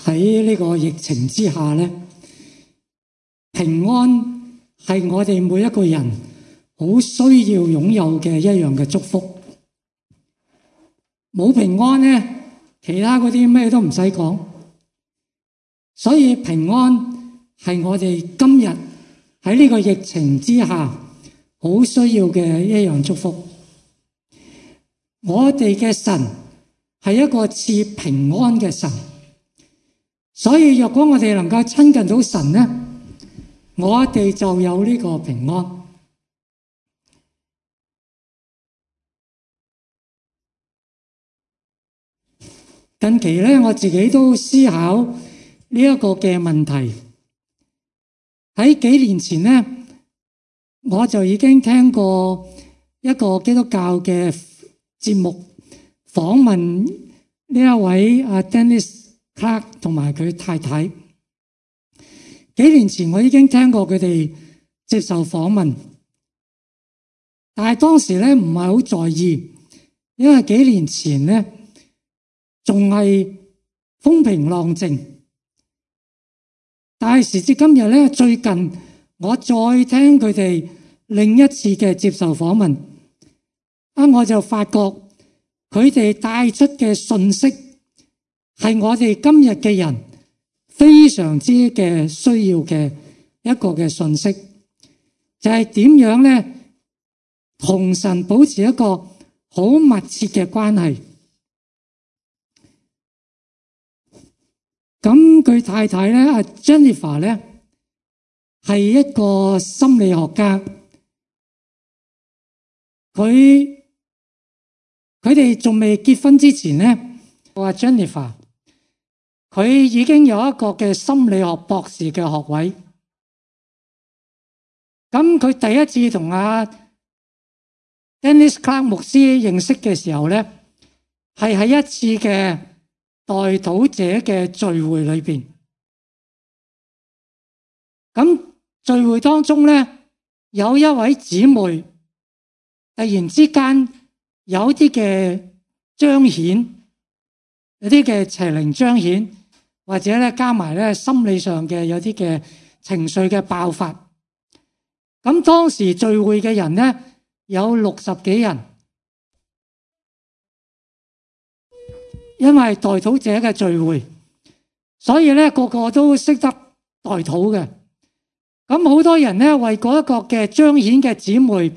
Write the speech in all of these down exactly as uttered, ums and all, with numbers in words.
喺呢個疫情之下咧，平安係我哋每一個人好需要擁有嘅一樣嘅祝福。冇平安咧，其他嗰啲咩都唔使講。所以平安係我哋今日喺呢個疫情之下好需要嘅一樣祝福。我哋嘅神係一個賜平安嘅神，所以若果我哋能夠親近到神咧，我哋就有呢個平安。近期咧，我自己都思考呢一個嘅問題。喺幾年前咧，我就已經聽過一個基督教嘅節目訪問呢一位阿 Dennis Clark 同埋佢太太。幾年前我已經聽過佢哋接受訪問，但係當時咧唔係好在意，因為幾年前咧仲係風平浪靜。但係時至今日咧，最近我再聽佢哋另一次嘅接受訪問，啊，我就發覺佢哋帶出嘅信息係我哋今日嘅人非常之嘅需要嘅一個嘅信息，就係點樣咧同神保持一個好密切嘅關係。咁佢太太咧，阿 Jennifer 咧，係一個心理學家。佢佢哋仲未結婚之前咧，我話 Jennifer，佢已經有一個嘅心理學博士嘅學位。咁佢第一次同阿 Dennis Clark 牧師認識嘅時候咧，係喺一次嘅代禱者嘅聚會裏邊。咁聚會當中咧，有一位姊妹突然之間有啲嘅彰顯，有啲嘅邪靈彰顯，或者咧加埋咧心理上嘅有啲嘅情緒嘅爆發。咁當時聚會嘅人咧有六十幾人。因為代禱者嘅聚會，所以咧個個都識得代禱嘅。咁好多人咧為嗰一個嘅彰顯嘅姊妹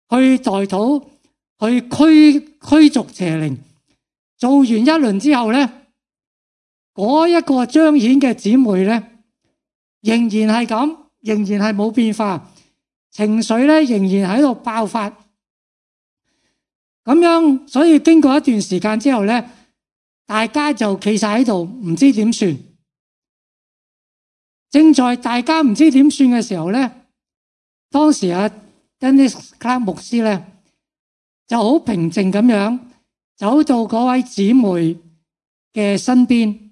去代禱，去驅驅逐邪靈。做完一輪之後咧，嗰一個彰顯嘅姊妹咧仍然係咁，仍然係冇變化，情緒咧仍然喺度爆發。咁樣，所以經過一段時間之後咧，大家就企晒喺度，唔知點算。正在大家唔知點算嘅時候咧，當時阿 Dennis Clark 牧師咧就好平靜咁樣走到嗰位姊妹嘅身邊，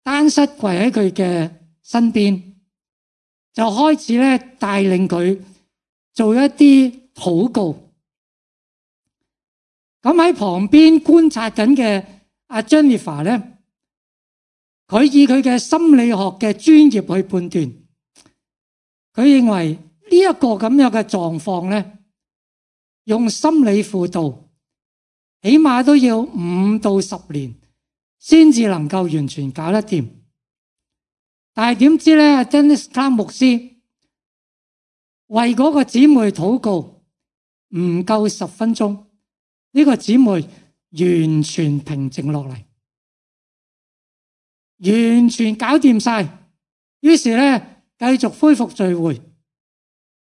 單膝跪喺佢嘅身邊，就開始咧帶領佢做一啲禱告。咁喺旁邊觀察緊嘅阿 Jennifer 咧，佢以佢嘅心理學嘅專業去判斷，佢認為呢一個咁樣嘅狀況咧，用心理輔導起碼都要五到十年先至能夠完全搞得掂。但係點知咧，阿 Dennis Clark 牧師為嗰個姊妹禱告唔夠十分鐘。呢個姊妹完全平靜落嚟，完全搞掂晒。於是咧，繼續恢復聚會。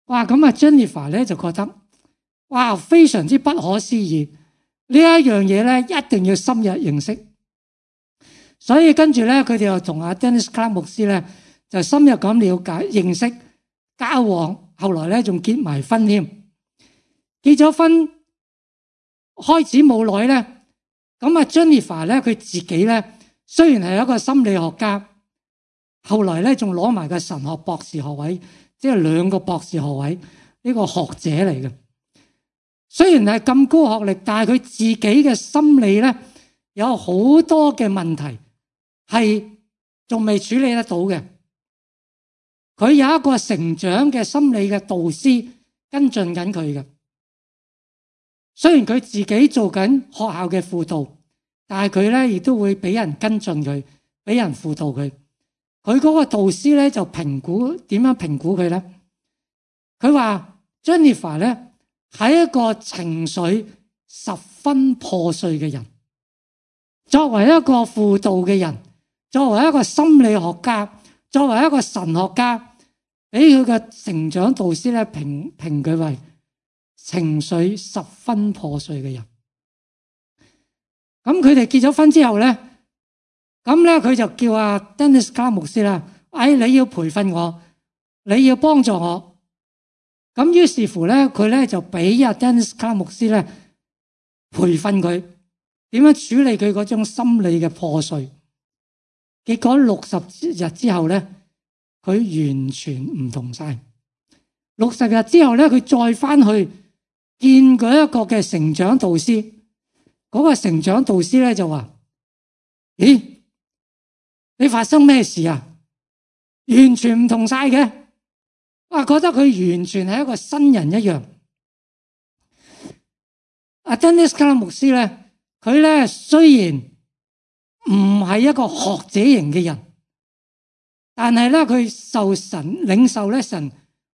哇！咁啊 ，Jennifer 咧就覺得哇，非常之不可思議。呢一樣嘢咧，一定要深入認識。所以跟住咧，佢哋又同阿 Dennis Clark 牧師咧就深入咁了解、認識、交往。後來咧仲結埋婚添，結咗婚。開始冇耐咧，咁啊 Jennifer 咧佢自己咧雖然係一個心理學家，後來咧仲攞埋個神學博士學位，即係兩個博士學位，呢個學者嚟嘅。雖然係咁高學歷，但係佢自己嘅心理咧有好多嘅問題，係仲未處理得到嘅。佢有一個成長嘅心理嘅導師跟進緊佢嘅。雖然佢自己做緊學校嘅輔導，但係佢咧亦都會俾人跟進佢，俾人輔導佢。佢嗰個導師咧就評估，點樣評估佢咧？佢話 Jennifer 咧係一個情緒十分破碎嘅人。作為一個輔導嘅人，作為一個心理學家，作為一個神學家，俾佢嘅成長導師咧評評佢為情緒十分破碎嘅人。咁佢哋結咗婚之後咧，咁咧佢就叫阿 Dennis Clark 牧師啦，哎，你要培訓我，你要幫助我。咁於是乎咧，佢咧就俾阿 Dennis Clark 牧師咧培訓佢點樣處理佢嗰種心理嘅破碎。結果六十日之後咧，佢完全唔同晒。六十日之後咧，佢再翻去見佢一個嘅成長導師，嗰個成長導師咧就話：咦，你發生咩事啊？完全唔同晒嘅，哇！覺得佢完全係一個新人一樣。阿 Dennis Clark 牧師咧，佢咧雖然唔係一個學者型嘅人，但係咧佢受神領受咧神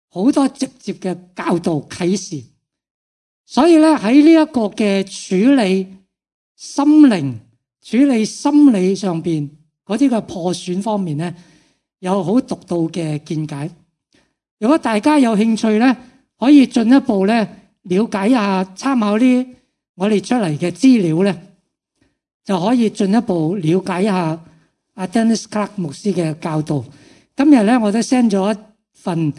好多直接嘅教導啟示，所以咧喺呢一個嘅處理心靈、處理心理上邊嗰啲嘅破損方面咧，有好獨到嘅見解。如果大家有興趣咧，可以進一步咧了解一下，參考啲我哋出嚟嘅資料咧，就可以進一步了解一下阿 Dennis Clark 牧師嘅教導。今日咧，我都 send 咗一份誒、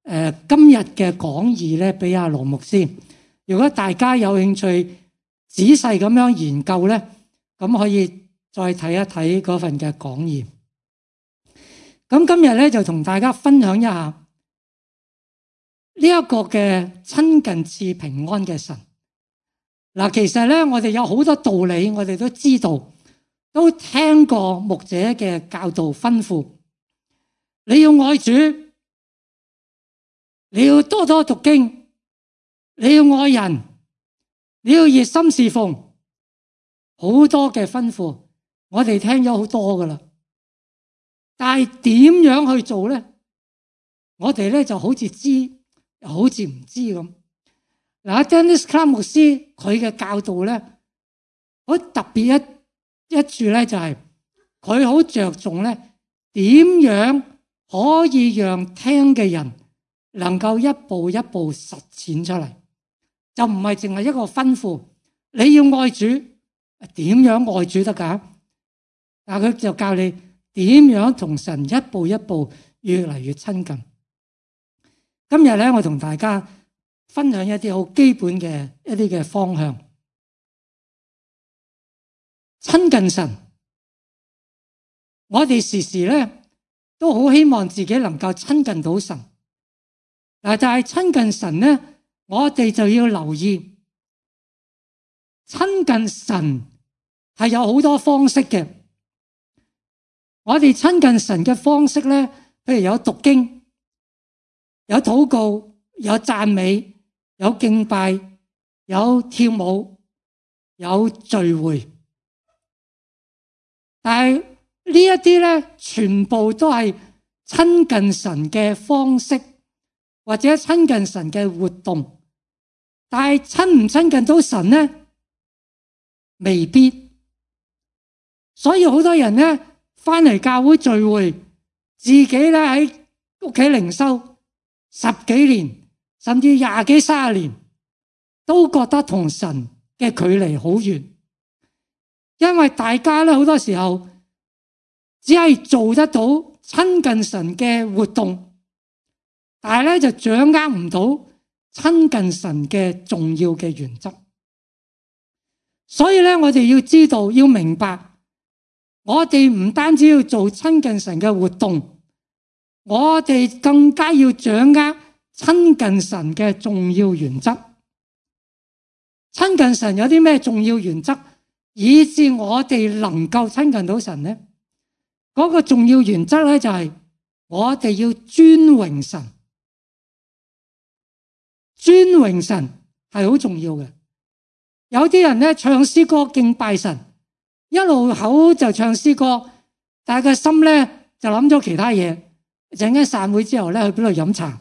呃、今日嘅講義咧俾阿羅牧師。如果大家有興趣仔細咁樣研究咧，咁可以再睇一睇嗰份嘅講義。咁今日咧就同大家分享一下呢一個嘅親近賜平安嘅神。嗱，其實咧我哋有好多道理，我哋都知道，都聽過牧者嘅教導吩咐。你要愛主，你要多多讀經，你要愛人，你要熱心侍奉，好多嘅吩咐，我哋聽咗好多噶啦。但係點樣去做咧？我哋咧就好似知，又好似唔知咁。嗱 ，Dennis Clark 牧師佢嘅教導咧，好特別一一處咧，就係佢好着重咧，點樣可以讓聽嘅人能夠一步一步實踐出嚟，就唔係淨係一個吩咐。你要愛主，點樣愛主得㗎？但佢就教你點樣同神一步一步越嚟越親近。今日咧，我同大家分享一啲好基本嘅一啲嘅方向。親近神，我哋時時咧都好希望自己能夠親近到神。嗱，但係親近神咧，我哋就要留意，親近神係有好多方式嘅。我哋親近神嘅方式咧，譬如有讀經、有禱告、有讚美、有敬拜、有跳舞、有聚會。但係呢一啲咧，全部都係親近神嘅方式，或者親近神嘅活動。但係親唔親近到神咧，未必。所以好多人咧翻嚟教會聚會，自己咧喺屋企靈修十幾年，甚至廿幾三十年，都覺得同神嘅距離好遠。因為大家咧好多時候只係做得到親近神嘅活動，但係咧就掌握唔到親近神嘅重要嘅原則。所以咧，我哋要知道，要明白，我哋唔單止要做親近神嘅活動，我哋更加要掌握親近神嘅重要原則。親近神有啲咩重要原則，以致我哋能夠親近到神呢？嗰個重要原則咧就係我哋要尊榮神，尊榮神係好重要嘅。有啲人咧唱詩歌敬拜神，一路口就唱詩歌，但係個心咧就諗咗其他嘢。陣間散會之後咧去邊度飲茶，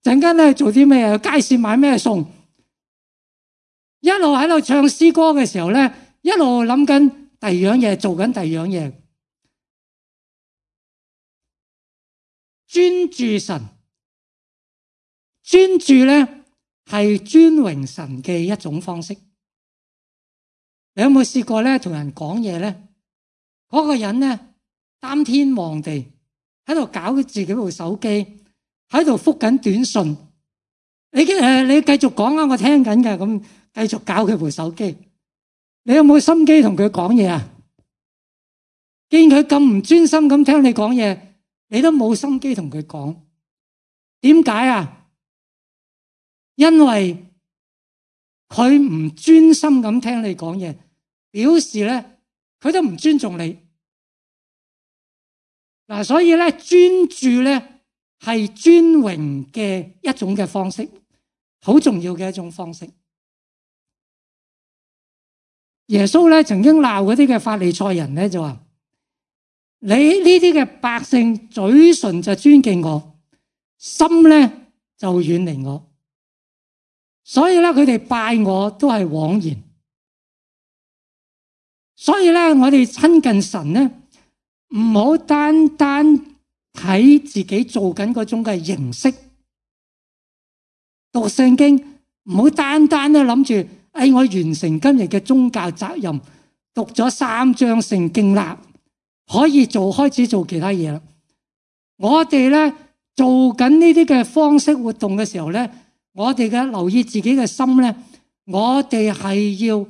陣間咧做啲咩？去街市買咩餸？一路喺度唱詩歌嘅時候咧，一路諗緊第二樣嘢，做緊第二樣嘢。專注神，專注咧係尊榮神嘅一種方式。你有冇試過咧同人講嘢咧？嗰個人咧擔天望地，喺度搞自己部手機，喺度覆緊短信。你誒，你繼續講啊，我聽緊㗎，咁繼續搞佢部手機。你有冇心機同佢講嘢啊？見佢咁唔專心咁聽你講嘢，你都冇心機同佢講。點解啊？因為佢唔專心咁聽你講嘢，表示咧佢都唔尊重你。嗱，所以咧專注咧係尊榮嘅一種嘅方式，好重要嘅一種方式。耶穌咧曾經鬧嗰啲嘅法利賽人咧，就話：你呢啲嘅百姓嘴唇就尊敬我，心咧就遠離我，所以咧佢哋拜我都係枉然。所以咧我哋親近神咧，唔好單單睇自己做緊嗰種嘅形式，讀聖經唔好單單咧諗住，哎，我完成今日嘅宗教責任，讀咗三章聖經啦，可以做開始做其他嘢啦。我哋咧做緊呢啲嘅方式活動嘅時候咧，我哋嘅留意自己嘅心咧，我哋係要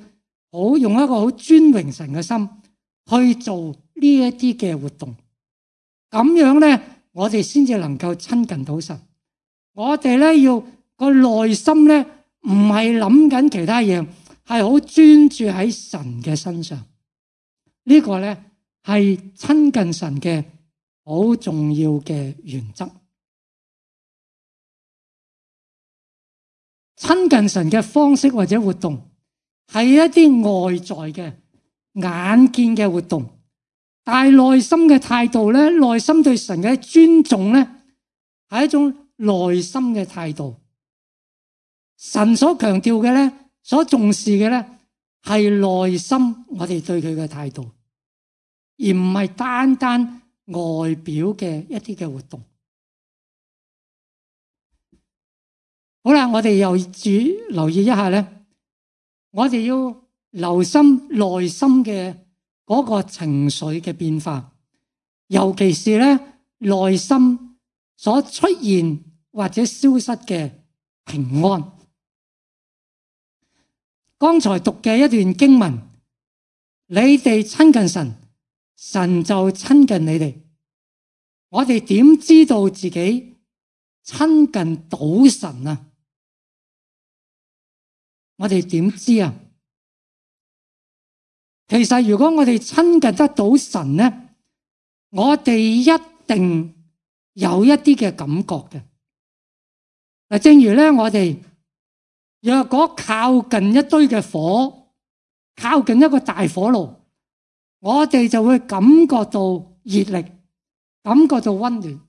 好用一個好尊榮神嘅心去做呢一啲嘅活動，咁樣咧我哋先至能夠親近到神。我哋咧要個內心咧唔係諗緊其他嘢，係好專注喺神嘅身上。呢個咧係親近神嘅好重要嘅原則。親近神嘅方式或者活動係一啲外在嘅眼見嘅活動，但係內心嘅態度咧，內心對神嘅尊重咧，係一種內心嘅態度。神所強調嘅咧，所重視嘅咧，係內心我哋對佢嘅態度，而唔係單單外表嘅一啲嘅活動。好啦，我哋又注留意一下咧，我哋要留心內心嘅嗰個情緒嘅變化，尤其是咧內心所出現或者消失嘅平安。剛才讀嘅一段經文，你哋親近神，神就親近你哋。我哋點知道自己親近到神啊？我哋點知啊？其實如果我哋親近得到神咧，我哋一定有一啲嘅感覺嘅。嗱，正如咧，我哋若果靠近一堆嘅火，靠近一個大火爐，我哋就會感覺到熱力，感覺到溫暖。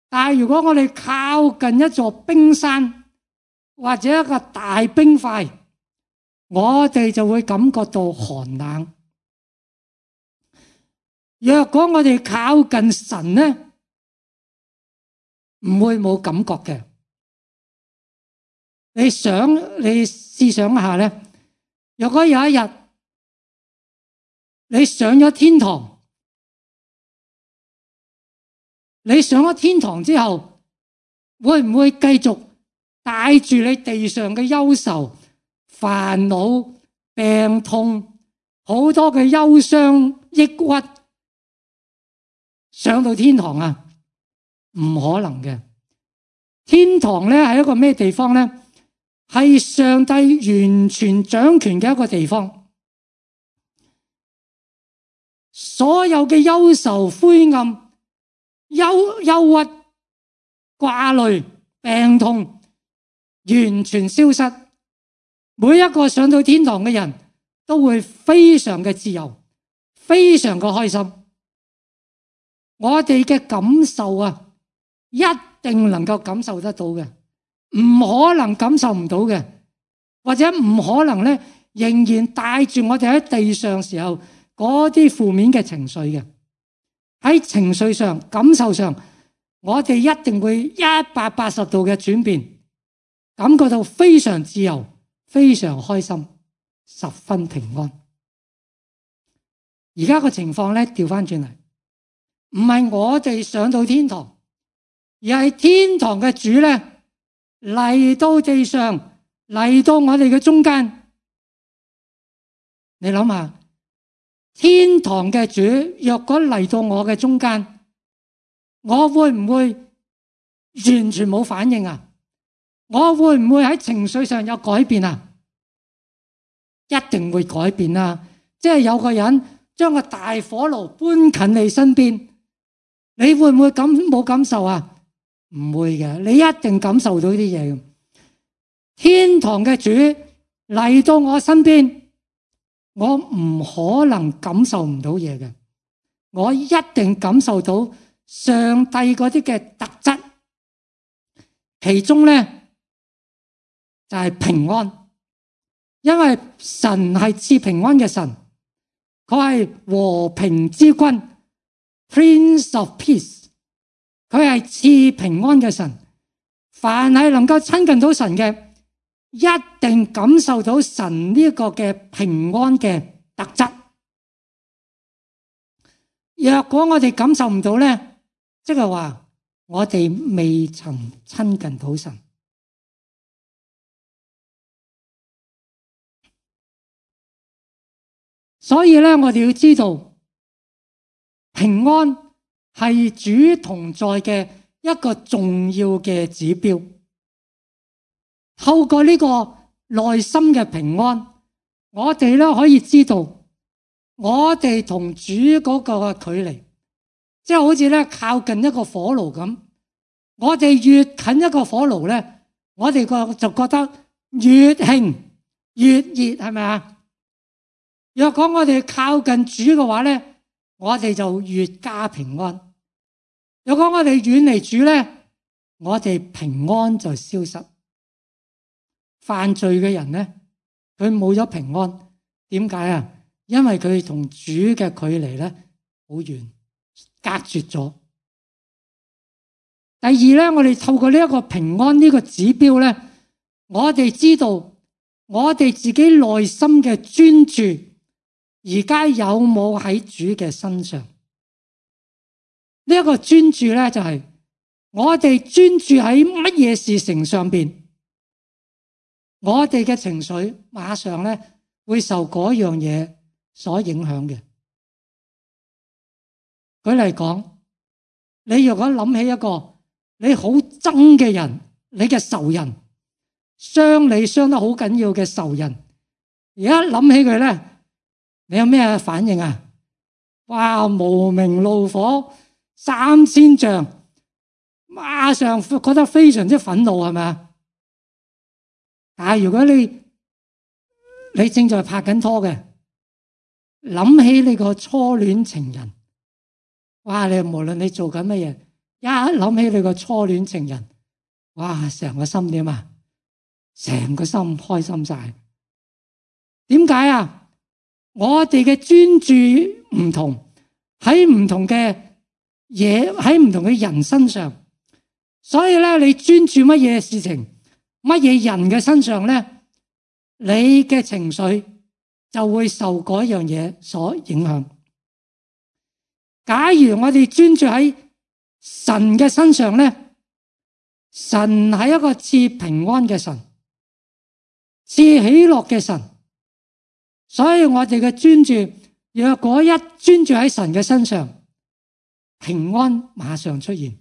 但係如果我哋靠近一座冰山或者一個大冰塊，我哋就會感覺到寒冷。若果我哋靠近神咧，唔會冇感覺嘅。你想，你試想一下咧，若果有一日你上咗天堂，你上咗天堂之後，會唔會繼續帶住你地上嘅憂愁、煩惱、病痛、好多嘅憂傷、抑鬱上到天堂啊？唔可能嘅。天堂咧係一個咩地方咧？係上帝完全掌權嘅一個地方。所有嘅憂愁、灰暗、憂憂鬱、掛慮、病痛完全消失。每一個上到天堂嘅人都會非常嘅自由，非常嘅開心。我哋嘅感受啊，一定能夠感受得到嘅，唔可能感受唔到嘅，或者唔可能咧，仍然帶住我哋喺地上時候嗰啲負面嘅情緒嘅。喺情緒上、感受上，我哋一定會一百八十度嘅轉變，感覺到非常自由、非常開心、十分平安。而家個情況咧，調翻轉嚟，唔係我哋上到天堂，而係天堂嘅主咧嚟到地上，嚟到我哋嘅中間。你諗下，天堂嘅主若果嚟到我嘅中間，我會唔會完全冇反應啊？我會唔會喺情緒上有改變啊？一定會改變啊！即係有個人將個大火爐搬近你身邊，你會唔會感冇感受啊？唔會嘅，你一定感受到啲嘢。天堂嘅主嚟到我身邊，我唔可能感受唔到嘢嘅，我一定感受到上帝嗰啲嘅特質，其中咧就係平安，因為神係賜平安嘅神，佢係和平之君 ，Prince of Peace， 佢係賜平安嘅神，凡係能夠親近到神嘅，一定感受到神呢個嘅平安嘅特質。若果我哋感受唔到咧，即係話我哋未曾親近到神。所以咧，我哋要知道平安係主同在嘅一個重要嘅指標。透過呢個內心嘅平安，我哋咧可以知道我哋同主嗰個距離，即係好似咧靠近一個火爐咁。我哋越近一個火爐咧，我哋個就覺得越興越熱，係咪啊？若果我哋靠近主嘅話咧，我哋就越加平安。若果我哋遠離主咧，我哋平安就消失。犯罪嘅人咧，佢冇咗平安，點解啊？因為佢同主嘅距離咧好遠，隔絕咗。第二咧，我哋透過呢一個平安呢個指標咧，我哋知道我哋自己內心嘅專注而家有冇喺主嘅身上？呢一個專注咧，就係我哋專注喺乜嘢事情上邊，我哋嘅情緒馬上咧會受嗰樣嘢所影響嘅。舉例講，你如果諗起一個你好憎嘅人，你嘅仇人，傷你傷得好緊要嘅仇人，而家諗起佢咧，你有咩反應啊？哇！無名怒火三千丈，馬上覺得非常之憤怒，係咪啊？但係如果你你正在拍緊拖嘅，諗起你個初戀情人，哇！你無論你做緊乜嘢，一諗起你個初戀情人，哇！成個心點啊？成個心開心晒。點解啊？我哋嘅專注唔同，喺唔同嘅嘢，喺唔同嘅人身上，所以咧，你專注乜嘢事情，乜嘢人嘅身上咧，你嘅情緒就會受嗰樣嘢所影響。假如我哋專注喺神嘅身上咧，神係一個賜平安嘅神，賜喜樂嘅神。所以我哋嘅專注，若果一專注喺神嘅身上，平安馬上出現。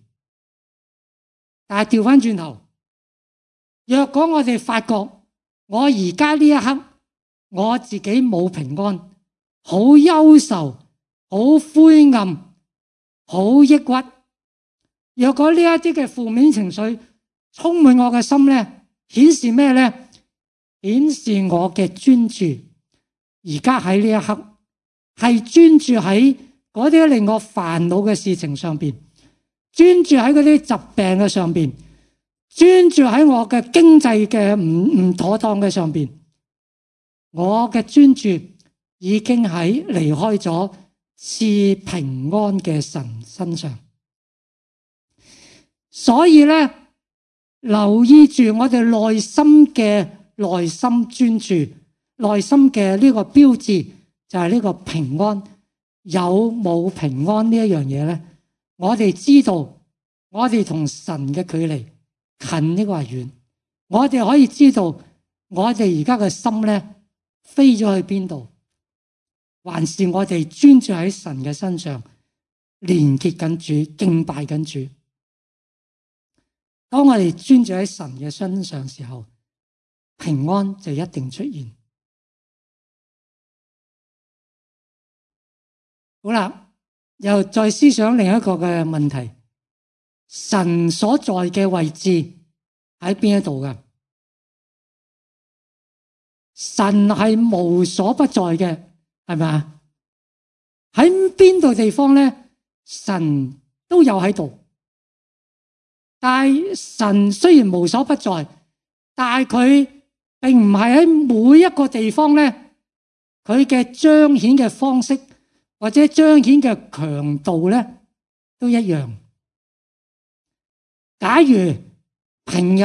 但係調翻轉頭，若果我哋發覺我而家呢一刻我自己冇平安，好憂愁，好灰暗、好抑鬱。若果呢一啲嘅負面情緒充滿我嘅心咧，顯示咩咧？顯示我嘅專注而家喺呢一刻係專注喺嗰啲令我煩惱嘅事情上邊，專注喺嗰啲疾病嘅上邊，專注喺我嘅經濟嘅唔唔妥當嘅上邊。我嘅專注已經喺離開咗賜平安嘅神身上。所以咧，留意住我哋內心嘅內心專注，內心嘅呢個標誌就係呢個平安。有冇平安呢一樣嘢咧？我哋知道我哋同神嘅距離近呢個係遠。我哋可以知道我哋而家嘅心咧飛咗去邊度，還是我哋專注喺神嘅身上，連結緊主，敬拜緊主。當我哋專注喺神嘅身上時候，平安就一定出現。好啦，又再思想另一個嘅問題：神所在嘅位置喺邊一度㗎？神係無所不在嘅，係咪啊？喺邊度地方咧，神都有喺度。但係神雖然無所不在，但係佢並唔係喺每一個地方咧，佢嘅彰顯嘅方式或者彰顯嘅強度咧都一樣。假如平日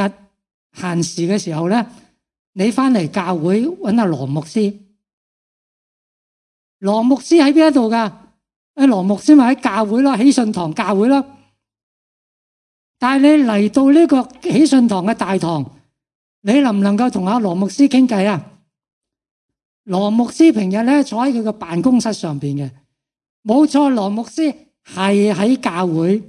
閒時嘅時候咧，你翻嚟教會揾阿羅牧師，羅牧師喺邊一度噶？誒，羅牧師咪喺教會啦，喜信堂教會啦。但係你嚟到呢個喜信堂嘅大堂，你能唔能夠同阿羅牧師傾偈啊？羅牧師平日咧坐喺佢嘅辦公室上邊嘅，冇錯，羅牧師係喺教會，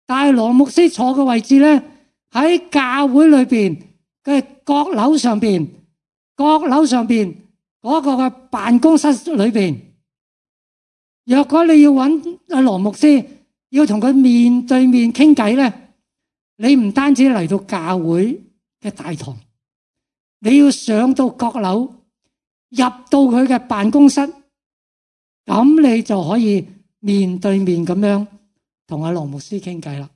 但係羅牧師坐嘅位置咧喺教會裏邊嘅閣樓上邊，閣樓上邊嗰個嘅辦公室裏邊。若果你要揾阿羅牧師，要同佢面對面傾偈咧，你唔單止嚟到教會嘅大堂，你要上到閣樓，入到佢嘅辦公室，咁你就可以面對面咁樣同阿羅牧師傾偈啦。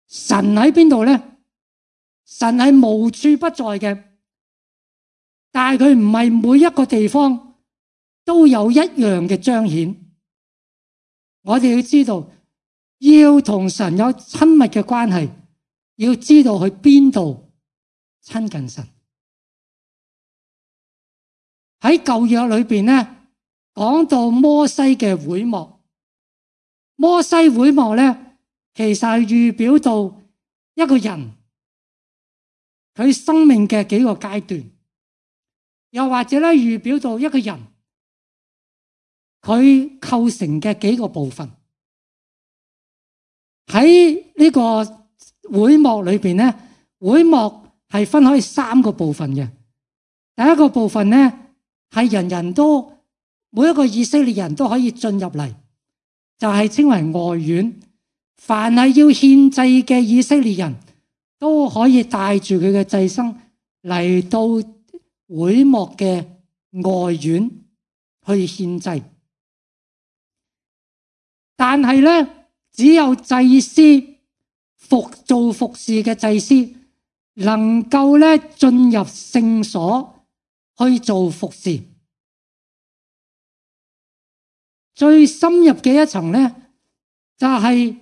神喺邊度咧？神係無處不在嘅，但係佢唔係每一個地方都有一樣嘅彰顯。我哋要知道，要同神有親密嘅關係，要知道去邊度親近神。喺舊約裏邊咧，講到摩西嘅會幕，摩西會幕咧，其實係預表到一個人佢生命嘅幾個階段，又或者咧預表到一個人佢構成嘅幾個部分。喺呢個會幕裏邊咧，會幕係分開三個部分嘅。第一個部分咧係人人都每一個以色列人都可以進入嚟，就係稱為外院。凡係要獻祭嘅以色列人都可以帶住佢嘅祭牲嚟到會幕嘅外院去獻祭。但係咧，只有祭司服做服侍嘅祭司能夠咧進入聖所去做服侍。最深入嘅一層咧，就係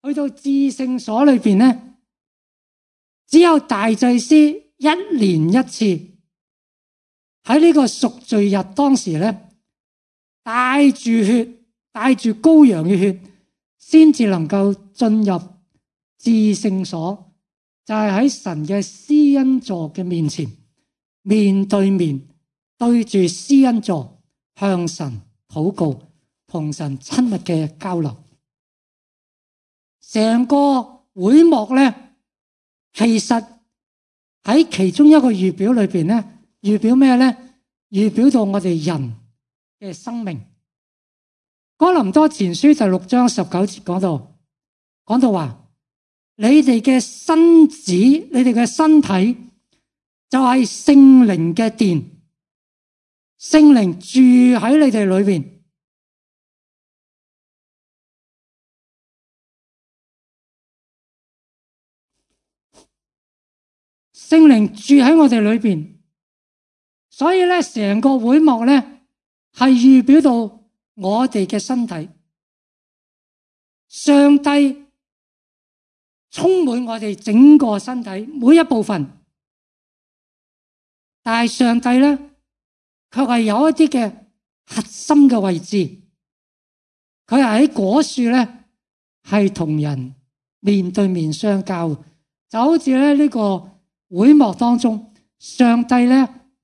去到至聖所裏邊咧，只有大祭司一年一次喺呢個贖罪日當時咧，帶住血。帶住羔羊嘅血，先至能夠進入至聖所，就係喺神嘅施恩座嘅面前，面對面對住施恩座向神禱告，同神親密嘅交流。成個會幕咧，其實喺其中一個預表裏邊咧，預表咩咧？預表到我哋人嘅生命。哥林多前書第六章十九節講到，講到話，你哋嘅身子，你哋嘅身體就係聖靈嘅殿，聖靈住喺你哋裏邊。聖靈住喺我哋裏邊，所以咧成個會幕咧係預表到我哋嘅身體，上帝充滿我哋整個身體每一部分，但係上帝咧卻係有一啲嘅核心嘅位置，佢係喺果樹咧係同人面對面相交，就好似咧呢個會幕當中，上帝咧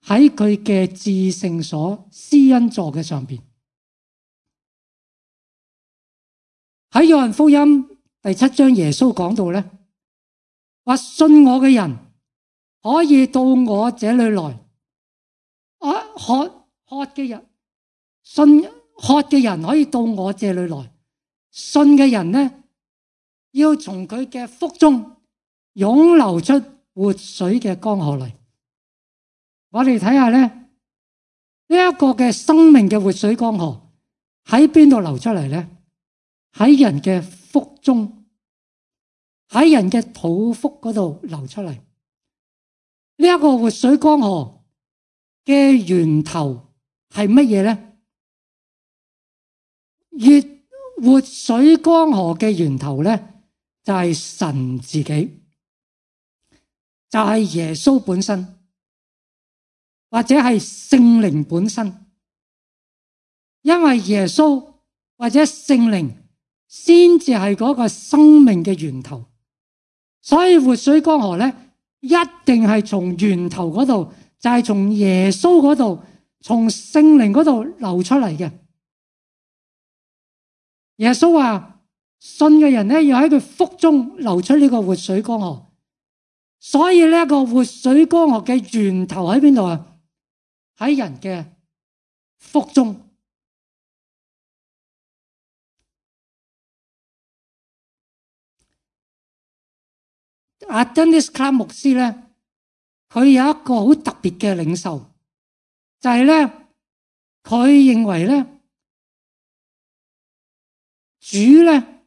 喺佢嘅至聖所施恩座嘅上邊。喺約翰福音第七章，耶穌講到咧，話信我嘅人可以到我這裏來，啊渴渴嘅人，信渴嘅人可以到我這裏來，信嘅人呢，要從佢嘅腹中湧流出活水嘅江河嚟。我哋睇下咧，呢一個嘅生命嘅活水江河喺邊度流出嚟咧？喺人嘅腹中，喺人嘅肚腹嗰度流出嚟。呢一個活水江河嘅源頭係乜嘢咧？越活水江河嘅源頭咧，就係神自己。就係耶穌本身，或者係聖靈本身，因為耶穌或者聖靈先至係嗰個生命嘅源頭，所以活水江河咧一定係從源頭嗰度，就係從耶穌嗰度，從聖靈嗰度流出嚟嘅。耶穌話信嘅人咧要喺佢腹中流出呢個活水江河。所以呢一個活水江河嘅源頭喺邊度啊？喺人嘅腹中。阿珍尼斯卡牧師咧，佢有一個好特別嘅領受，就係咧，佢認為咧，主咧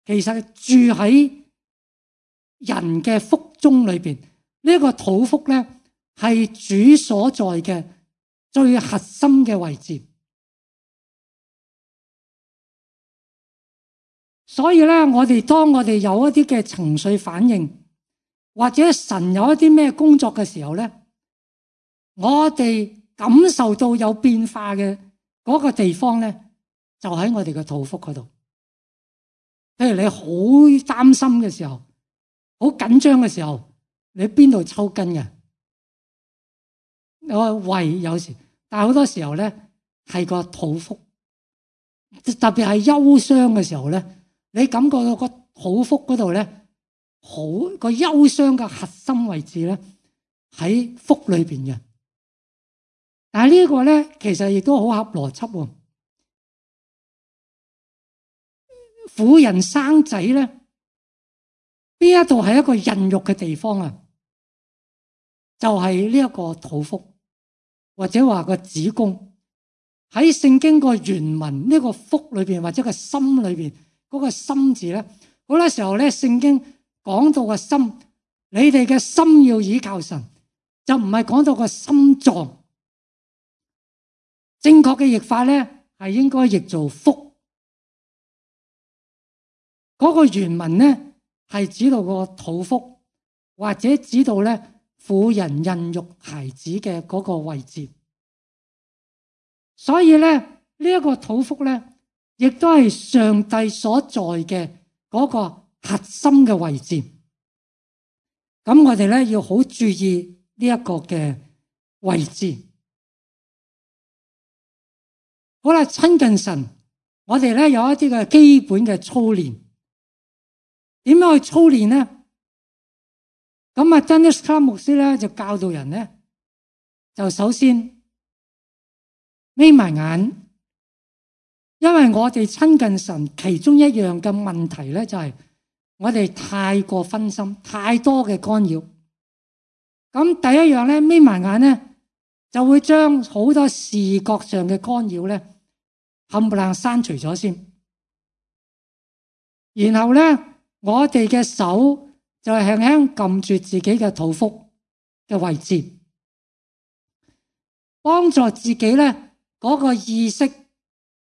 其實住喺人嘅腹中裏邊，呢一個肚腹咧係主所在嘅最核心嘅位置。所以咧，我哋當我哋有一啲嘅情緒反應，或者神有一啲咩工作嘅時候咧，我哋感受到有變化嘅嗰個地方咧，就喺我哋嘅肚腹嗰度。譬如你好擔心嘅時候，好緊張嘅時候，你邊度抽筋嘅？我胃有時，但係好多時候咧係個肚腹，特別係憂傷嘅時候咧，你感覺到個肚腹嗰度咧，好個憂傷嘅核心位置咧喺腹裏邊嘅。但係呢個咧其實亦都好合邏輯喎。婦人生仔咧，邊一度係一個孕育嘅地方啊？就係呢一個肚腹，或者話個子宮。喺聖經個原文呢個腹裏邊或者個心裏邊嗰個心字咧，好多時候咧聖經講到個心，你哋嘅心要倚靠神，就唔係講到個心臟。正確嘅譯法咧係應該譯做腹。嗰個原文咧係指到個肚腹，或者指到咧婦人孕育孩子嘅嗰個位置。所以咧呢一個肚腹咧，亦都係上帝所在嘅嗰個核心嘅位置。咁我哋咧要好注意呢一個嘅位置。好啦，親近神，我哋咧有一啲嘅基本嘅操練。點樣去操練呢？咁啊，珍妮斯卡牧師咧就教導人咧，就首先眯埋眼，因為我哋親近神其中一樣嘅問題咧，就係我哋太過分心，太多嘅干擾。咁第一樣咧，眯埋眼咧，就會將好多視覺上嘅干擾咧，冚唪唥刪除咗先。然後咧，我哋嘅手就輕輕撳住自己嘅肚腹嘅位置，幫助自己咧嗰個意識，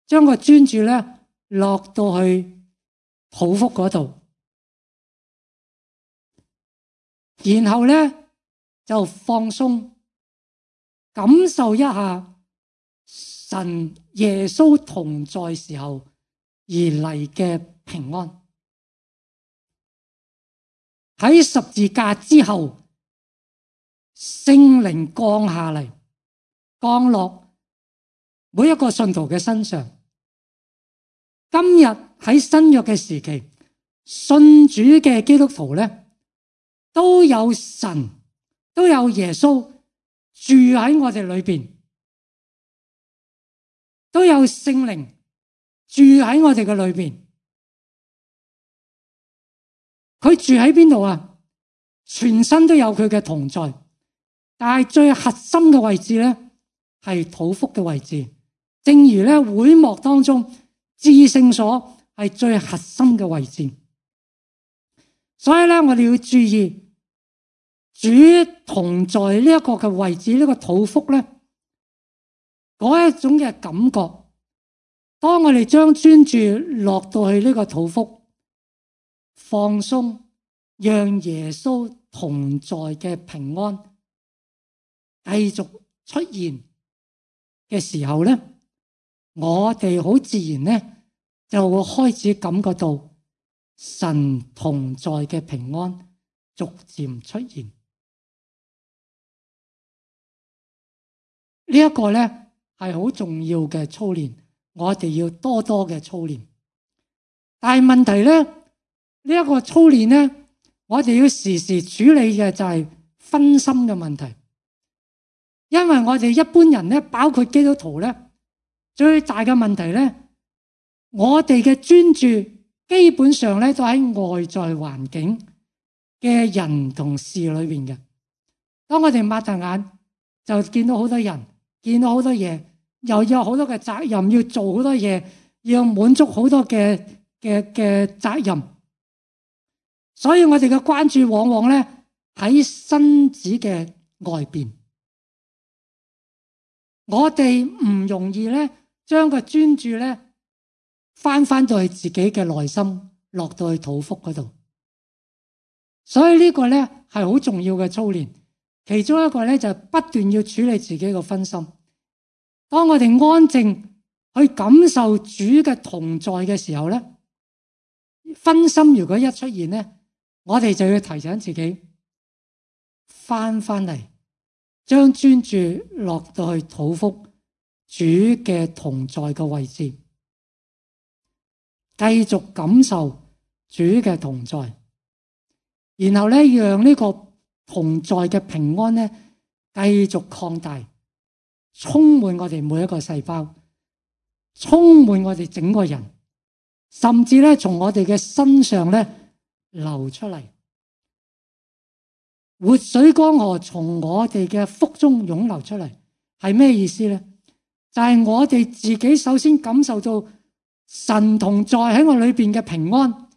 將個專注咧落到去肚腹嗰度，然後咧就放鬆，感受一下神耶穌同在時候而嚟嘅平安。喺十字架之後，聖靈降下嚟，降落每一個信徒嘅身上。今日喺新約嘅時期，信主嘅基督徒咧，都有神，都有耶穌住喺我哋裏邊，都有聖靈住喺我哋嘅裏邊。佢住喺邊度啊？全身都有佢嘅同在，但係最核心嘅位置咧，係肚腹嘅位置。正如咧會幕當中至聖所係最核心嘅位置，所以咧我哋要注意主同在呢一個嘅位置，呢個肚腹咧嗰一種嘅感覺。當我哋將專注落到去呢個肚腹，放鬆，讓耶穌同在嘅平安繼續出現嘅時候咧，我哋好自然咧就會開始感覺到神同在嘅平安逐漸出現。呢一個咧係好重要嘅操練，我哋要多多嘅操練。但係問題咧，呢一個操練咧，我哋要時時處理嘅就係分心嘅問題。因為我哋一般人咧，包括基督徒咧，最大嘅問題咧，我哋嘅專注基本上咧都喺外在環境嘅人同事裏邊嘅。當我哋擘大眼，就見到好多人，見到好多嘢，又有好多嘅責任要做，好多嘢要滿足好多嘅嘅嘅責任。所以我哋嘅關注往往咧喺身子嘅外邊，我哋唔容易咧將個專注咧翻翻到去自己嘅內心，落到去肚腹嗰度。所以呢個咧係好重要嘅操練。其中一個咧就係不斷要處理自己嘅分心。當我哋安靜去感受主嘅同在嘅時候咧，分心如果一出現咧，我哋就要提醒自己翻翻嚟，將專注落到去肚腹主嘅同在嘅位置，繼續感受主嘅同在，然後咧讓呢個同在嘅平安咧繼續擴大，充滿我哋每一個細胞，充滿我哋整個人，甚至咧從我哋嘅身上咧流出嚟，活水江河從我哋嘅腹中湧流出嚟，係咩意思咧？就係我哋自己首先感受到神同在喺我裏邊嘅平安，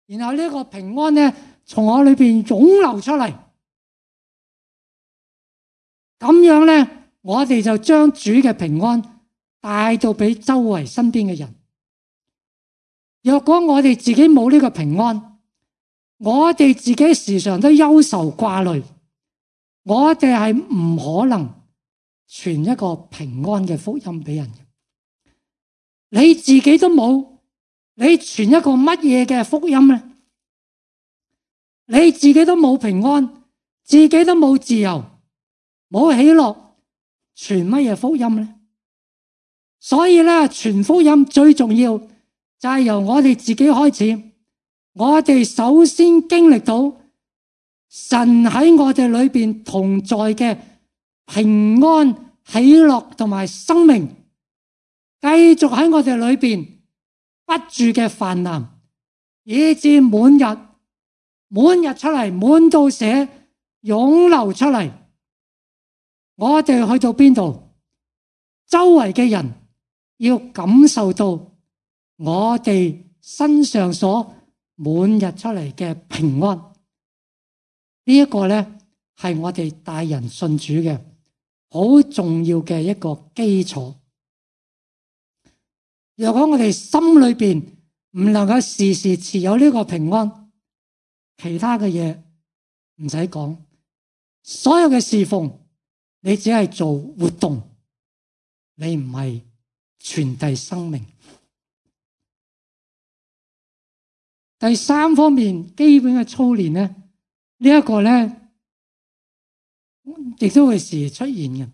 然後呢個平安咧從我裏邊湧流出嚟，咁樣咧我哋就將主嘅平安帶到俾周圍身邊嘅人。若果我哋自己冇呢個平安，我哋自己時常都憂愁掛慮，我哋係唔可能傳一個平安嘅福音俾人嘅。你自己都冇，你傳一個乜嘢嘅福音咧？你自己都冇平安，自己都冇自由，冇喜樂，傳乜嘢福音咧？所以咧，傳福音最重要就係由我哋自己開始。我哋首先經歷到神喺我哋裏邊同在嘅平安、喜樂同埋生命，繼續喺我哋裏邊不住嘅泛濫，以至滿日滿日出嚟，滿到瀉湧流出嚟。我哋去到邊度，周圍嘅人要感受到我哋身上所滿日出嚟嘅平安。呢一個咧係我哋帶人信主嘅好重要嘅一個基礎。如果我哋心裏邊唔能夠時時持有呢個平安，其他嘅嘢唔使講，所有嘅侍奉你只係做活動，你唔係傳遞生命。第三方面基本嘅操練咧，呢一個咧亦都會時時出現嘅，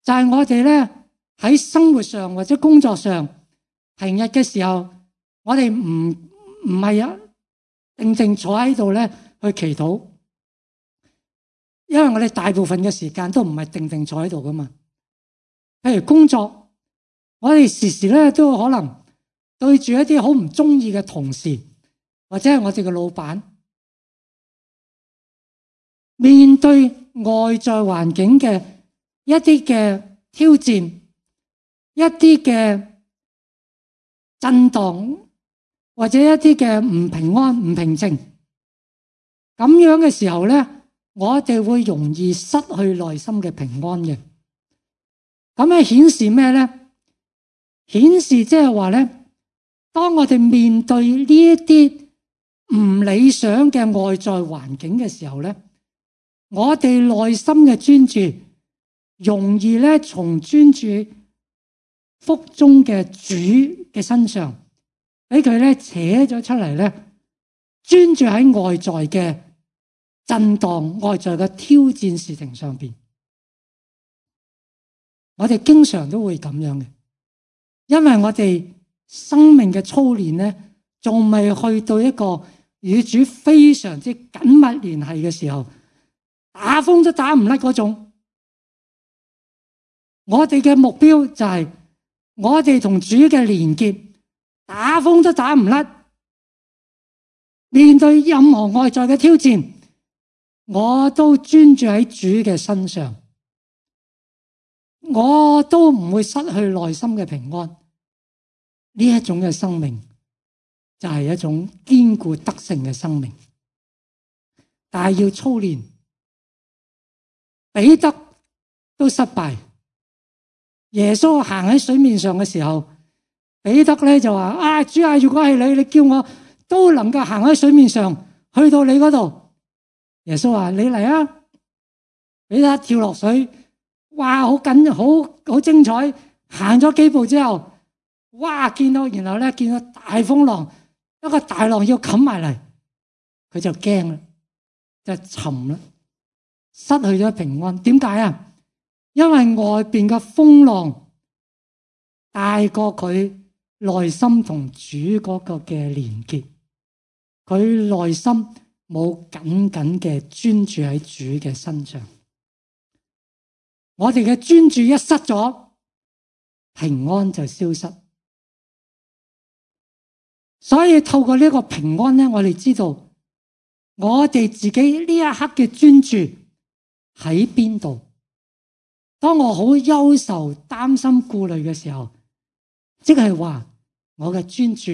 就係我哋咧喺生活上或者工作上平日嘅時候，我哋唔唔係啊定定坐喺度咧去祈禱，因為我哋大部分嘅時間都唔係定定坐喺度噶嘛。譬如工作，我哋時時咧都可能對住一啲好唔中意嘅同事，或者係我哋嘅老闆，面對外在環境嘅一啲嘅挑戰，一啲嘅震盪，或者一啲嘅唔平安、唔平靜，咁樣嘅時候咧，我哋會容易失去內心嘅平安嘅。咁係顯示咩咧？顯示即係話咧，當我哋面對呢一啲唔理想嘅外在環境嘅時候咧，我哋內心嘅專注容易咧從專注腹中嘅主嘅身上，俾佢咧扯咗出嚟咧，專注喺外在嘅震盪、外在嘅挑戰事情上邊。我哋經常都會咁樣嘅，因為我哋生命嘅操練咧，仲未去到一個與主非常之緊密聯繫嘅時候，打風都打唔甩嗰種。我哋嘅目標就係我哋同主嘅連結，打風都打唔甩。面對任何外在嘅挑戰，我都專注喺主嘅身上，我都唔會失去內心嘅平安。呢一種嘅生命就係一種堅固得勝嘅生命，但係要操練。彼得都失敗，耶穌行喺水面上嘅時候，彼得咧就話：啊，主啊，如果係你，你叫我都能夠行喺水面上去到你嗰度。耶穌話：你嚟啊！彼得跳落水，哇，好緊，好好精彩。行咗幾步之後，哇，見到然後咧見到大風浪，一個大浪要冚埋嚟，佢就驚啦，就沉啦。失去咗平安，點解啊？因為外邊嘅風浪大過佢內心同主嗰個嘅連結，佢內心冇緊緊嘅專注喺主嘅身上。我哋嘅專注一失咗，平安就消失。所以透過呢個平安咧，我哋知道我哋自己呢一刻嘅專注喺邊度？當我好憂愁、擔心、顧慮嘅時候，即係話我嘅專注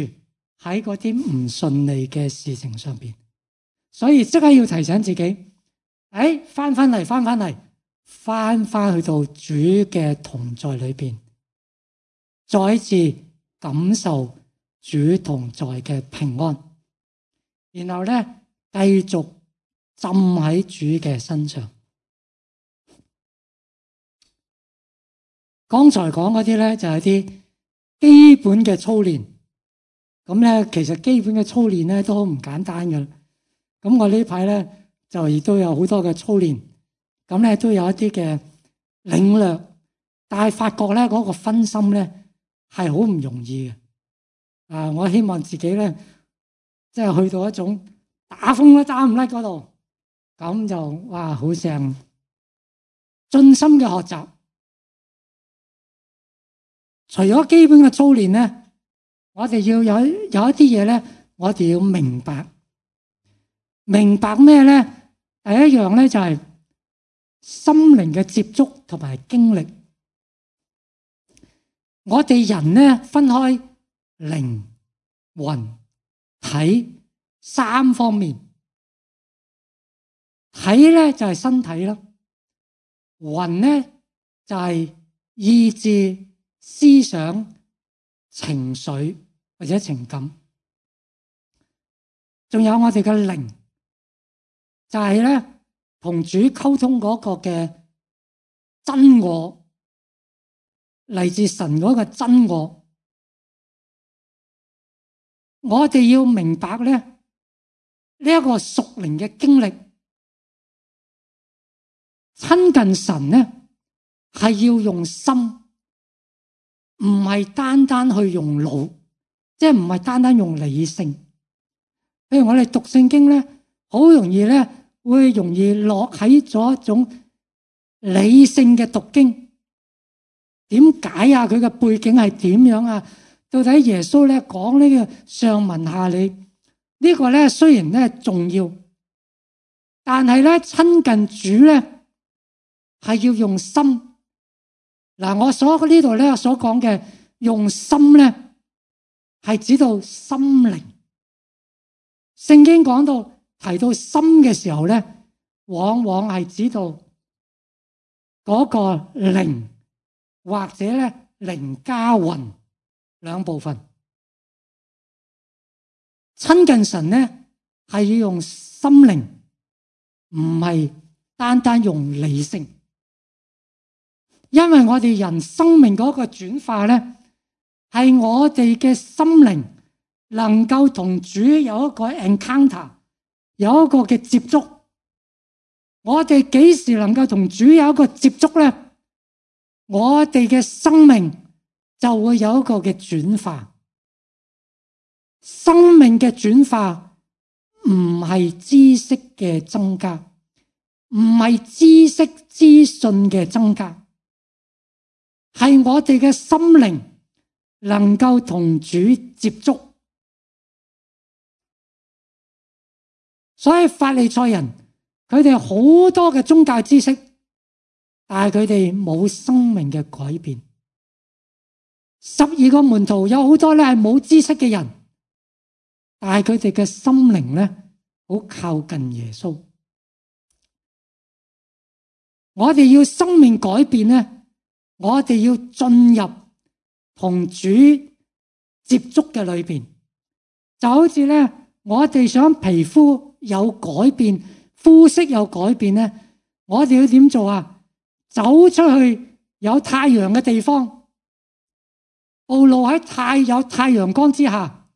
喺嗰啲唔順利嘅事情上邊，所以即刻要提醒自己，誒，翻翻嚟，翻翻嚟，翻翻去到主嘅同在裏邊，再一次感受主同在嘅平安，然後咧繼續浸喺主嘅身上。剛才講嗰啲咧就係啲基本嘅操練，咁咧其實基本嘅操練咧都好唔簡單嘅。咁我呢排咧就亦都有好多嘅操練，咁咧都有一啲嘅領略，但係發覺咧嗰個分心咧係好唔容易嘅。啊，我希望自己咧即係去到一種打風都打唔甩嗰度，咁就哇好正，盡心嘅學習。除咗基本嘅操練咧，我哋要有有一啲嘢咧，我哋要明白。明白咩咧？第一樣咧就係心靈嘅接觸同埋經歷。我哋人咧分開靈、魂、體三方面。體咧就係身體啦，魂咧就係意志、思想、情緒或者情感，仲有我哋嘅靈，就係咧同主溝通嗰個嘅真我，嚟自神嗰個真我。我哋要明白咧呢一個屬靈嘅經歷。親近神咧，係要用心，唔係單單去用腦，即係唔係單單用理性。譬如我哋讀聖經咧，好容易咧會容易落喺咗一種理性嘅讀經。點解啊？佢嘅背景係點樣啊？到底耶穌咧講呢個上文下理呢個咧，雖然咧重要，但係咧親近主咧。係要用心嗱，我所呢度咧所講嘅用心咧，係指到心靈。聖經講到提到心嘅時候咧，往往係指到嗰個靈或者咧靈加魂兩部分。親近神咧係要用心靈，唔係單單用理性。因為我哋人生命嗰個轉化咧，係我哋嘅心靈能夠同主有一個 encounter， 有一個嘅接觸。我哋幾時能夠同主有一個接觸咧？我哋嘅生命就會有一個嘅轉化。生命嘅轉化唔係知識嘅增加，唔係知識資訊嘅增加。係我哋嘅心靈能夠同主接觸，所以法利賽人佢哋好多嘅宗教知識，但係佢哋冇生命嘅改變。十二個門徒有好多咧係冇知識嘅人，但係佢哋嘅心靈咧好靠近耶穌。我哋要生命改變咧，我哋要進入同主接觸嘅裏邊，就好似咧，我哋想皮膚有改變，膚色有改變咧，我哋要點做啊？走出去有太陽嘅地方，暴露喺太有太陽光之下，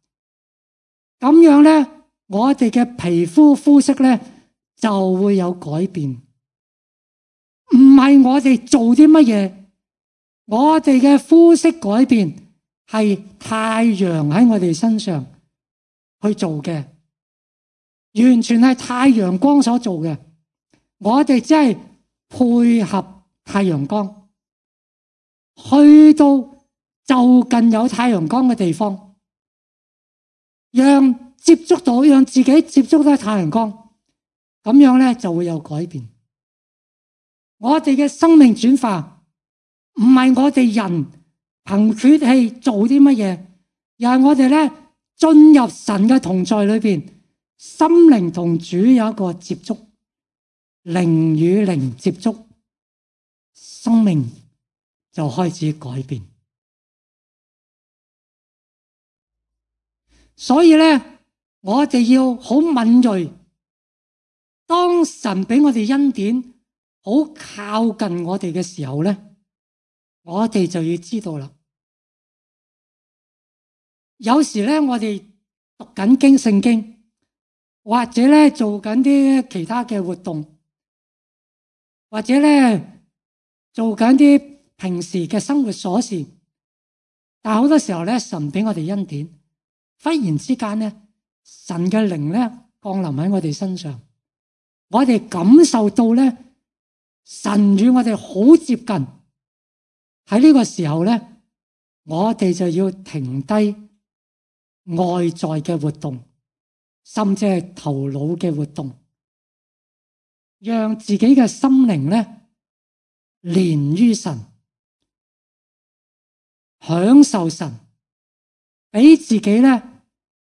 咁樣咧，我哋嘅皮膚膚色咧就會有改變。唔係我哋做啲乜嘢。我哋嘅膚色改變係太陽喺我哋身上去做嘅，完全係太陽光所做嘅。我哋只係配合太陽光，去到就近有太陽光嘅地方，讓接觸到，讓自己接觸到太陽光，咁樣咧就會有改變。我哋嘅生命轉化。唔係我哋人憑血氣做啲乜嘢，而係我哋咧進入神嘅同在裏邊，心靈同主有一個接觸，靈與靈接觸，生命就開始改變。所以咧，我哋要好敏銳，當神俾我哋恩典，好靠近我哋嘅時候咧。我哋就要知道啦。有時咧，我哋讀緊經聖經，或者咧做緊啲其他嘅活動，或者咧做緊啲平時嘅生活瑣事，但係好多時候咧，神俾我哋恩典，忽然之間咧，神嘅靈咧降臨喺我哋身上，我哋感受到咧，神與我哋好接近。喺呢個時候咧，我哋就要停低外在嘅活動，甚至係頭腦嘅活動，讓自己嘅心靈咧連於神，享受神，俾自己咧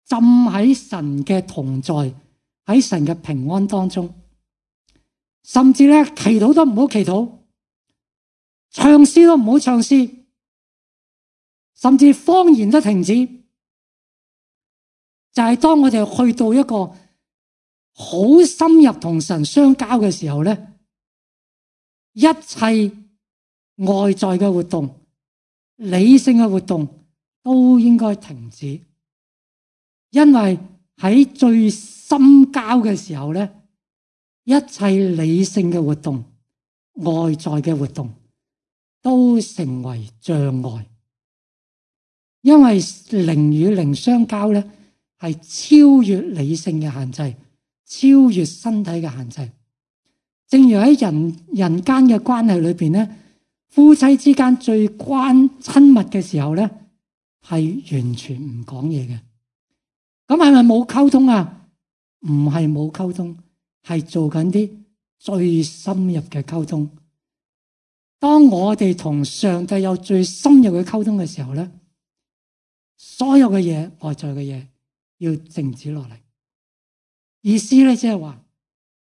浸喺神嘅同在，喺神嘅平安當中，甚至咧祈禱都唔好祈禱，唱詩都唔好唱詩，甚至方言都停止。就係當我哋去到一個好深入同神相交嘅時候咧，一切外在嘅活動、理性嘅活動都應該停止，因為喺最深交嘅時候咧，一切理性嘅活動、外在嘅活動都成為障礙，因為靈與靈相交咧係超越理性嘅限制，超越身體嘅限制。正如喺人人間嘅關係裏邊咧，夫妻之間最關親密嘅時候咧，係完全唔講嘢嘅。咁係咪冇溝通啊？唔係冇溝通，係做緊啲最深入嘅溝通。當我哋同上帝有最深入嘅溝通嘅時候咧，所有嘅嘢，外在嘅嘢要靜止落嚟。意思咧，即係話，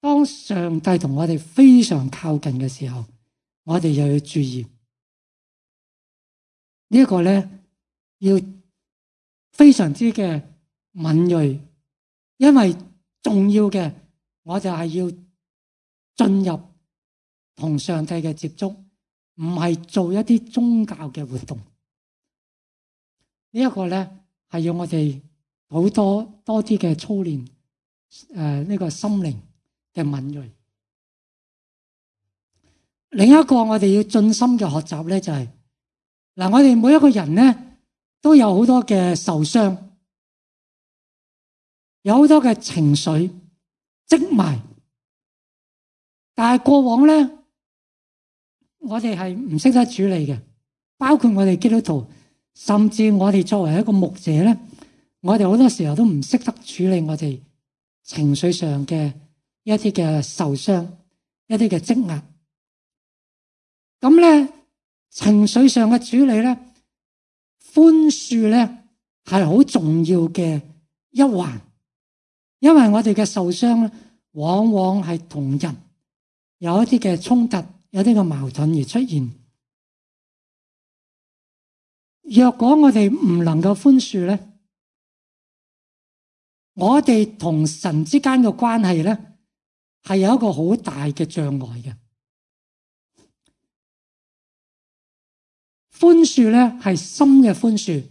當上帝同我哋非常靠近嘅時候，我哋又要注意呢一個咧，要非常之嘅敏銳，因為重要嘅，我就係要進入同上帝嘅接觸，唔係做一啲宗教嘅活動。呢一個咧係要我哋好多多啲嘅操練，誒呢個心靈嘅敏銳。另一個我哋要盡心嘅學習咧，就係嗱，我哋每一個人咧都有好多嘅受傷，有好多嘅情緒積埋，但係過往咧，我哋係唔識得處理嘅，包括我哋基督徒，甚至我哋作為一個牧者咧，我哋好多時候都唔識得處理我哋情緒上嘅一啲嘅受傷，一啲嘅積壓。咁咧，情緒上嘅處理咧，寬恕咧係好重要嘅一環，因為我哋嘅受傷咧，往往係同人有一啲嘅衝突，有啲嘅矛盾而出現。若果我哋唔能夠寬恕咧，我哋同神之間嘅關係咧係有一個好大嘅障礙嘅。寬恕咧係心嘅寬恕，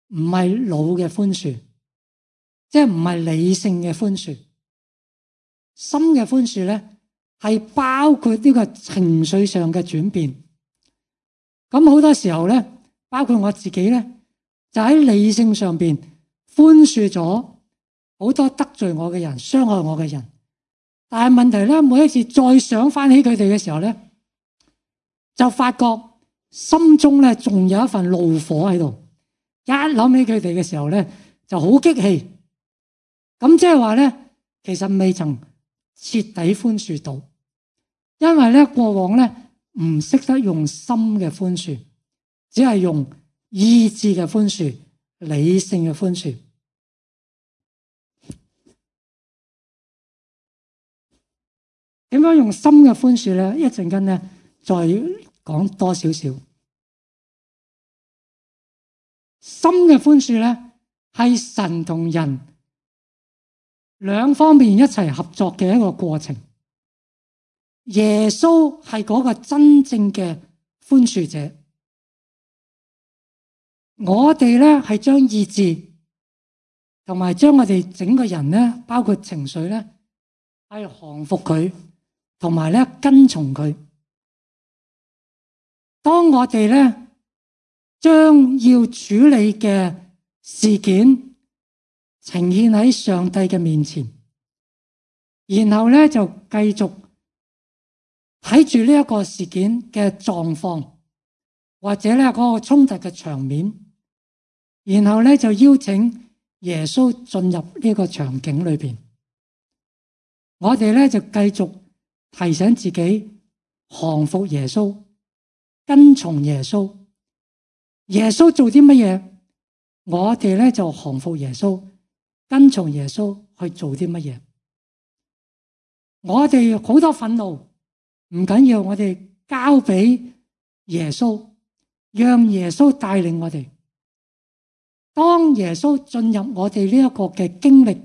唔係腦嘅寬恕，即係唔係理性嘅寬恕。心嘅寬恕咧係包括呢個情緒上嘅轉變。咁好多時候咧，包括我自己咧，就喺理性上邊寬恕咗好多得罪我嘅人、傷害我嘅人。但係問題咧，每一次再想翻起佢哋嘅時候咧，就發覺心中咧仲有一份怒火喺度，一諗起佢哋嘅時候咧就好激氣。咁即係話咧，其實未曾徹底寬恕到，因為咧過往咧唔識得用心嘅寬恕，只係用意志嘅寬恕、理性嘅寬恕。點樣用心嘅寬恕咧？一陣間咧再講多少少。心嘅寬恕咧，係神同人兩方面一齊合作嘅一個過程。耶穌係嗰個真正嘅寬恕者，我哋咧係將意志同埋將我哋整個人咧，包括情緒咧，係降服佢，同埋咧跟從佢。當我哋咧將要處理嘅事件呈現喺上帝嘅面前，然後咧就繼續睇住呢一個事件嘅狀況，或者咧嗰個衝突嘅場面，然後咧就邀請耶穌進入呢個場景裏邊。我哋咧就繼續提醒自己降服耶穌，跟從耶穌。耶穌做啲乜嘢，我哋咧就降服耶穌，跟從耶穌去做啲乜嘢。我哋好多憤怒唔緊要，我哋交俾耶穌，讓耶穌帶領我哋。當耶穌進入我哋呢一個嘅經歷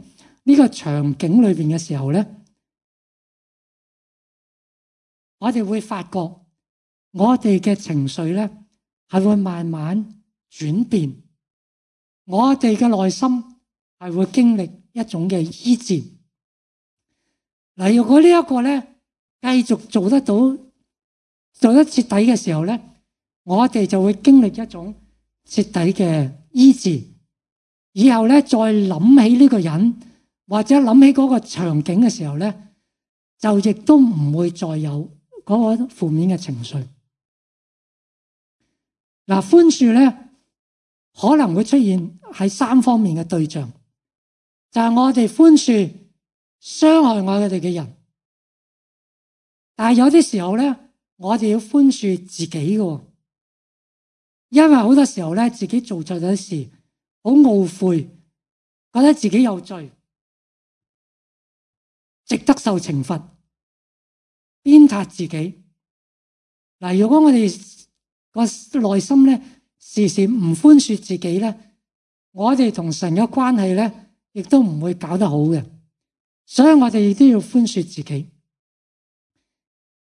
呢個場景裏邊嘅時候咧，我哋會發覺我哋嘅情緒咧係會慢慢轉變，我哋嘅內心係會經歷一種嘅醫治。嗱，如果呢一個咧繼續做得到，做得徹底嘅時候咧，我哋就會經歷一種徹底嘅醫治。以後咧再諗起呢個人或者諗起嗰個場景嘅時候咧，就亦都唔會再有嗰個負面嘅情緒。嗱，寬恕咧可能會出現喺三方面嘅對象，就係我哋寬恕傷害我哋嘅人，但係有啲時候咧，我哋要寬恕自己嘅，因為好多時候咧自己做錯咗事，好懊悔，覺得自己有罪，值得受懲罰，鞭撻自己。嗱，如果我哋個內心咧時時唔寬恕自己咧，我哋同神嘅關係咧亦都唔會搞得好嘅。所以我哋亦都要寬恕自己。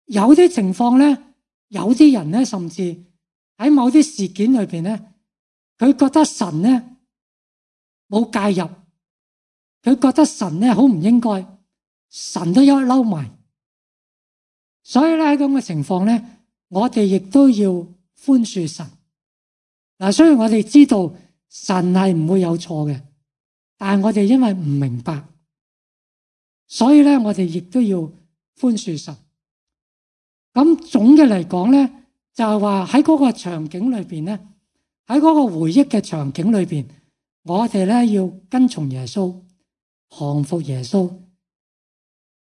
有啲情況咧，有啲人咧，甚至喺某啲事件裏邊咧，佢覺得神咧冇介入，佢覺得神咧好唔應該，神都一嬲埋。所以咧喺咁嘅情況咧，我哋亦都要寬恕神。嗱，雖然我哋知道神係唔會有錯嘅，但係我哋因為唔明白，所以咧我哋亦都要寬恕神。咁總嘅嚟講咧，就係話喺嗰個場景裏邊咧，喺嗰個回憶嘅場景裏邊，我哋咧要跟從耶穌，降服耶穌，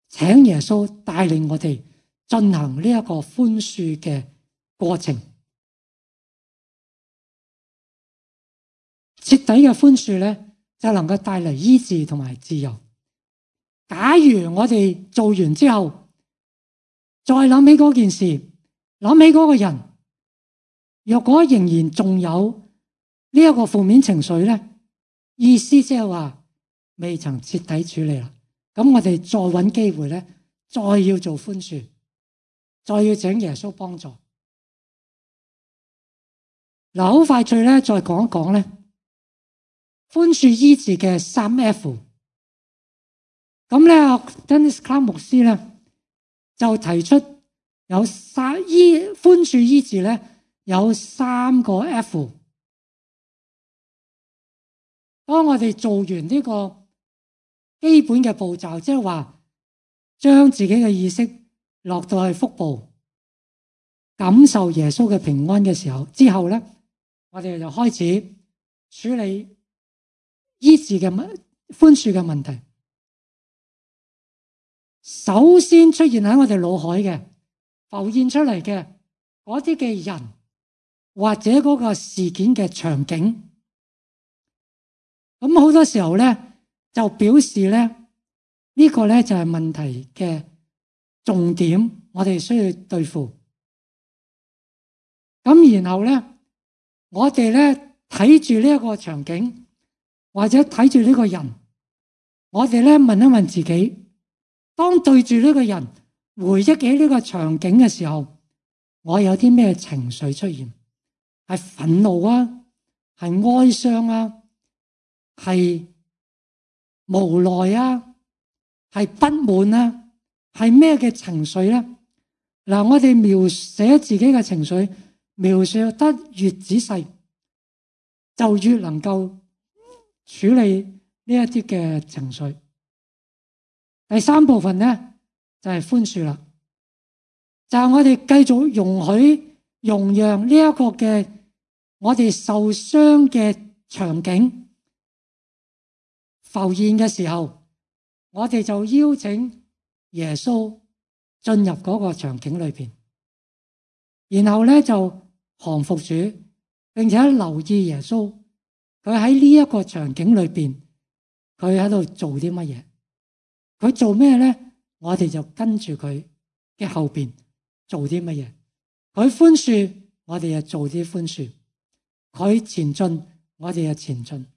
請耶穌帶領我哋進行呢一個寬恕嘅過程。徹底嘅寬恕咧，就能夠帶嚟醫治同埋自由。假如我哋做完之後，再諗起嗰件事，諗起嗰個人，若果仍然仲有呢一個負面情緒咧，意思即係話未曾徹底處理啦。咁我哋再搵機會咧，再要做寬恕，再要請耶穌幫助。嗱，好快脆咧，再講一講咧，寬恕醫治嘅三 F。咁咧 Dennis Clark 牧師咧就提出有三醫寬恕醫治咧有三個 F。當我哋做完呢個基本嘅步驟，即係話將自己嘅意識落到去腹部，感受耶穌嘅平安嘅時候，之後咧，我哋就開始處理醫治嘅問寬恕嘅問題。首先出現喺我哋腦海嘅浮現出嚟嘅嗰啲嘅人或者嗰個事件嘅場景，咁好多時候咧就表示咧呢個咧就係問題嘅重點，我哋需要對付。咁然後咧我哋咧睇住呢一個場景或者睇住呢個人，我哋咧問一問自己，當對住呢個人回憶起呢個場景嘅時候，我有啲咩情緒出現？係憤怒啊，係哀傷啊，係無奈啊，係不滿啊，係咩嘅情緒咧？嗱，我哋描寫自己嘅情緒，描寫得越仔細，就越能夠處理呢一啲嘅情緒。第三部分咧就係寬恕啦，就係我哋繼續容許容讓呢一個嘅我哋受傷嘅場景浮現嘅時候，我哋就邀請耶穌進入嗰個場景裏邊，然後咧就降服主，並且留意耶穌佢喺呢一個場景裏邊，佢喺度做啲乜嘢？佢做咩咧？我哋就跟住佢嘅後邊做啲乜嘢？佢寬恕，我哋就做啲寬恕；佢前進，我哋就前進。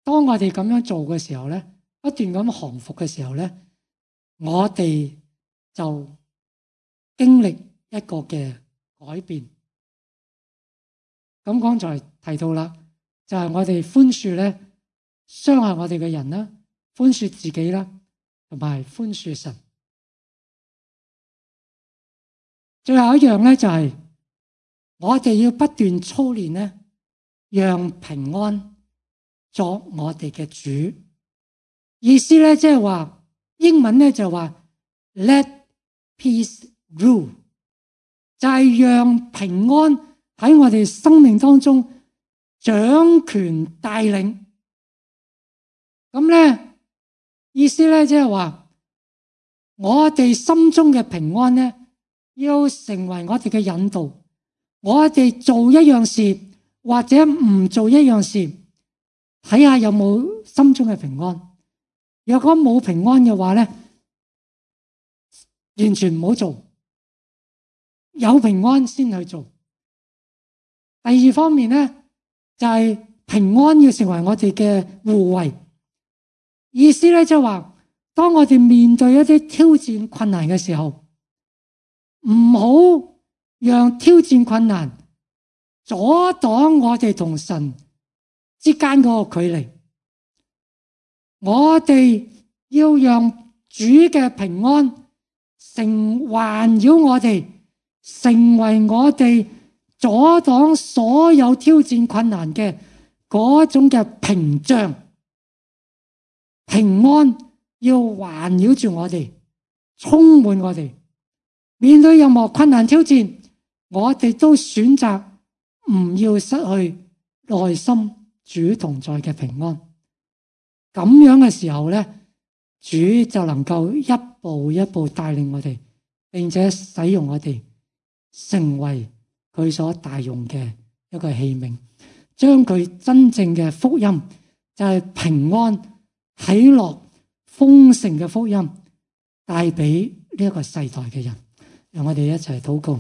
當我哋咁樣做嘅時候咧，不斷咁降服嘅時候咧，我哋就經歷一個嘅改變。咁剛才提到啦，就係我哋寬恕咧，傷害我哋嘅人啦，寬恕自己啦，同埋寬恕神。最後一樣咧，就係我哋要不斷操練咧，讓平安作我哋嘅主。意思咧，即係話英文咧就話 Let peace rule， 就係讓平安喺我哋生命當中掌權帶領。咁咧意思咧，即係話我哋心中嘅平安咧，要成為我哋嘅引導。我哋做一樣事或者唔做一樣事，睇下有冇心中嘅平安。若果冇平安嘅話咧，完全唔好做，有平安先去做。第二方面咧，就係平安要成為我哋嘅護衛。意思咧，即係話當我哋面對一啲挑戰困難嘅時候，唔好讓挑戰困難阻擋我哋同神之間嗰個距離。我哋要讓主嘅平安成環繞我哋，成為我哋阻擋所有挑戰困難嘅嗰種嘅屏障。平安要環繞住我哋，充滿我哋。面對任何困難挑戰，我哋都選擇唔要失去內心主同在嘅平安。咁樣嘅時候咧，主就能夠一步一步帶領我哋，並且使用我哋成為佢所大用嘅一個器皿，將佢真正嘅福音，就係平安、喜樂、豐盛嘅福音帶俾呢一個世代嘅人。讓我哋一齊禱告。